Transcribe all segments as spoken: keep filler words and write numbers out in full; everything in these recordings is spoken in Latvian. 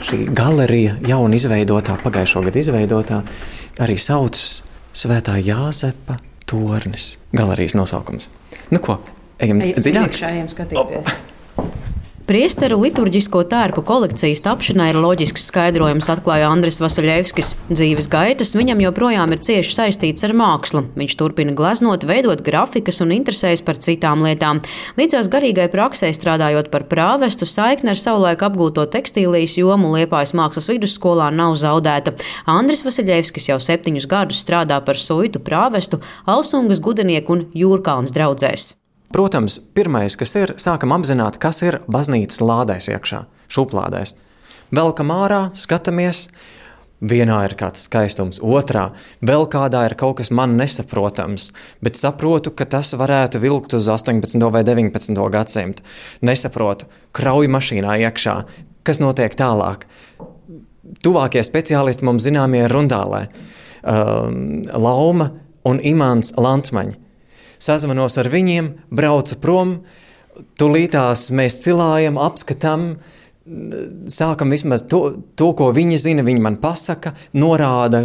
šī galerija, jauna izveidotā, pagājušo gadu izveidotā, arī saucas Svētā Jāzepa tornis. Galerijas nosaukums. Nu ko, ejam dziļāk? Ejam skatīties. Priesteru liturģisko tērpu kolekcijas tapšanai ir loģisks skaidrojums, atklāja Andris Vasaļevskis. Dzīves gaitas viņam joprojām ir cieši saistīts ar mākslu. Viņš turpina gleznot, veidot grafikas un interesējas par citām lietām. Līdzās garīgai praksē strādājot par prāvestu, saikne ar savulaik apgūto tekstīlijas jomu Liepājas mākslas vidusskolā nav zaudēta. Andris Vasaļevskis jau septiņus gadus strādā par suitu prāvestu Alsungas Gudenieku un Jūrkalns draudzēs. Protams, pirmais, kas ir, sākam apzināt, kas ir baznīcas lādēs iekšā, šuplādēs. Velkam ārā, skatāmies, vienā ir kāds skaistums, otrā, vēl kādā ir kaut kas man nesaprotams, bet saprotu, ka tas varētu vilkt uz astoņpadsmito vai deviņpadsmito gadsimtu. Nesaprotu, krauju mašīnā iekšā, kas notiek tālāk. Tuvākie speciālisti mums zināmie ir Rundālē, um, Lauma un Imants Lantsmaņi. Sazvanos ar viņiem, braucu prom, tulītās mēs cilājam, apskatām, sākam vismaz to, to, ko viņi zina, viņi man pasaka, norāda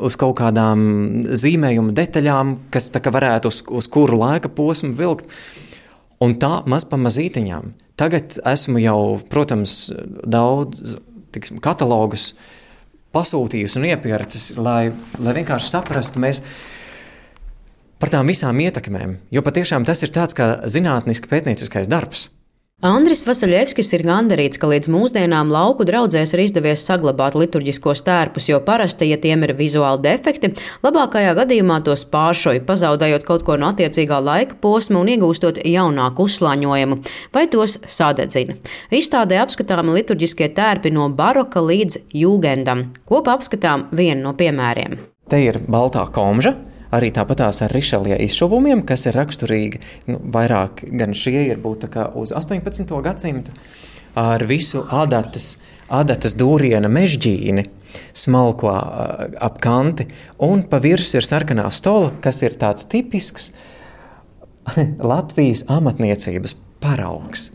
uz kaut kādām zīmējuma detaļām, kas tā kā varētu uz, uz kuru laika posmu vilkt. Un tā maz pa mazītiņām. Tagad esmu jau, protams, daudz tiksim, katalogus pasūtījusi un iepircis, lai, lai vienkārši saprastu mēs par tām visām ietekmēm, jo patiešām tas ir tāds kā zinātniski pētnieciskais darbs. Andris Vasaļevskis ir gandarīts, ka līdz mūsdienām lauku draudzēs ir izdevies saglabāt liturģiskos tērpus, jo parasti, ja tiem ir vizuāli defekti, labākajā gadījumā tos pāršoja, pazaudējot kaut ko no attiecīgā laika posma un iegūstot jaunāku uzslāņojumu, vai tos sadedzina. Izstādē apskatāmi liturģiskie tērpi no baroka līdz jūgendam. Kopā apskatām vienu no piemēriem. Te ir baltā komža. Arī tāpatās ar Rišelie izšuvumiem, kas ir raksturīgi, nu, vairāk gan šie ir būt tā kā uz astoņpadsmito gadsimtu, ar visu adatas, adatas dūriena mežģīni, smalko ap kanti, un pa virsu ir sarkanā stola, kas ir tāds tipisks Latvijas amatniecības paraugs.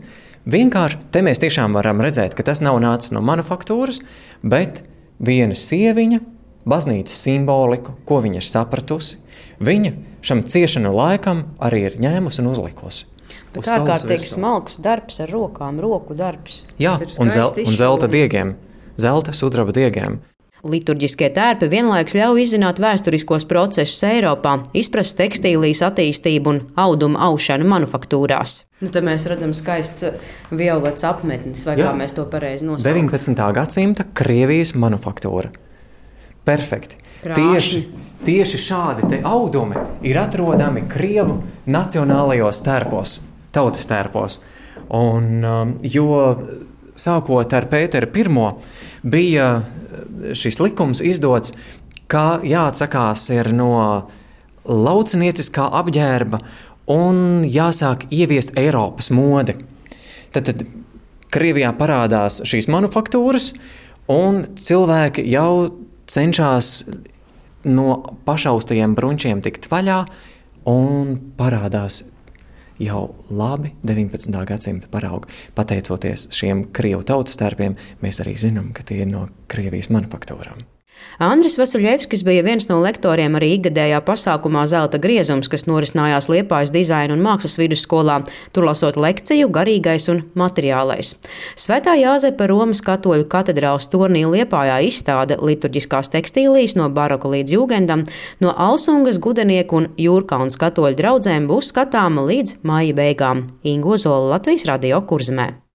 Vienkārši te mēs tiešām varam redzēt, ka tas nav nācis no manufaktūras, bet viena sieviņa, baznīcas simboliku, ko viņa ir sapratusi, viņa šam ciešanu laikam arī ir ņēmusi un uzlikusi. Bet ārkārtīgi smalks darbs ar rokām, roku darbs. Jā, un, zel, un zelta diegiem, zelta sudraba diegiem. Liturģiskie tērpi vienlaikus ļauj izzināt vēsturiskos procesus Eiropā, izprast tekstīlijas attīstību un audumu aušanu manufaktūrās. Nu, te mēs redzam skaists violets apmetnis, vai Jā. Kā mēs to pareizi nosaukt. deviņpadsmitā gadsimta Krievijas manufaktūra. Perfekti. Tieši, tieši šādi te audumi ir atrodami Krievu nacionālajos tērpos, tautas tērpos. Un, um, jo sākot ar Pēteru pirmo bija šis likums izdots, ka jāatsakās ir no laucinieciskā apģērba un jāsāk ieviest Eiropas modi. Tad, tad Krievijā parādās šīs manufaktūras un cilvēki jau cenšas no pašaustajiem brunčiem tikt vaļā un parādās jau labi deviņpadsmitā gadsimta paraugi. Pateicoties šiem Krievu tautas tērpiem, mēs arī zinām, ka tie ir no Krievijas manufaktūrām. Andris Vasaļevskis bija viens no lektoriem arī ikgadējā pasākumā Zelta griezums, kas norisinājās Liepājas dizaina un mākslas vidusskolā, tur lasot lekciju Garīgais un materiālais. Svētā Jāzepa Romas katoļu katedrāles tornī Liepājā izstāde liturģiskās tekstīlijas no baroka līdz jūgendam, no Alsungas Gudenieku un Jūrkalns katoļu draudzēm būs skatāma līdz māja beigām. Inga Ozola, Latvijas Radio, Kurzemē.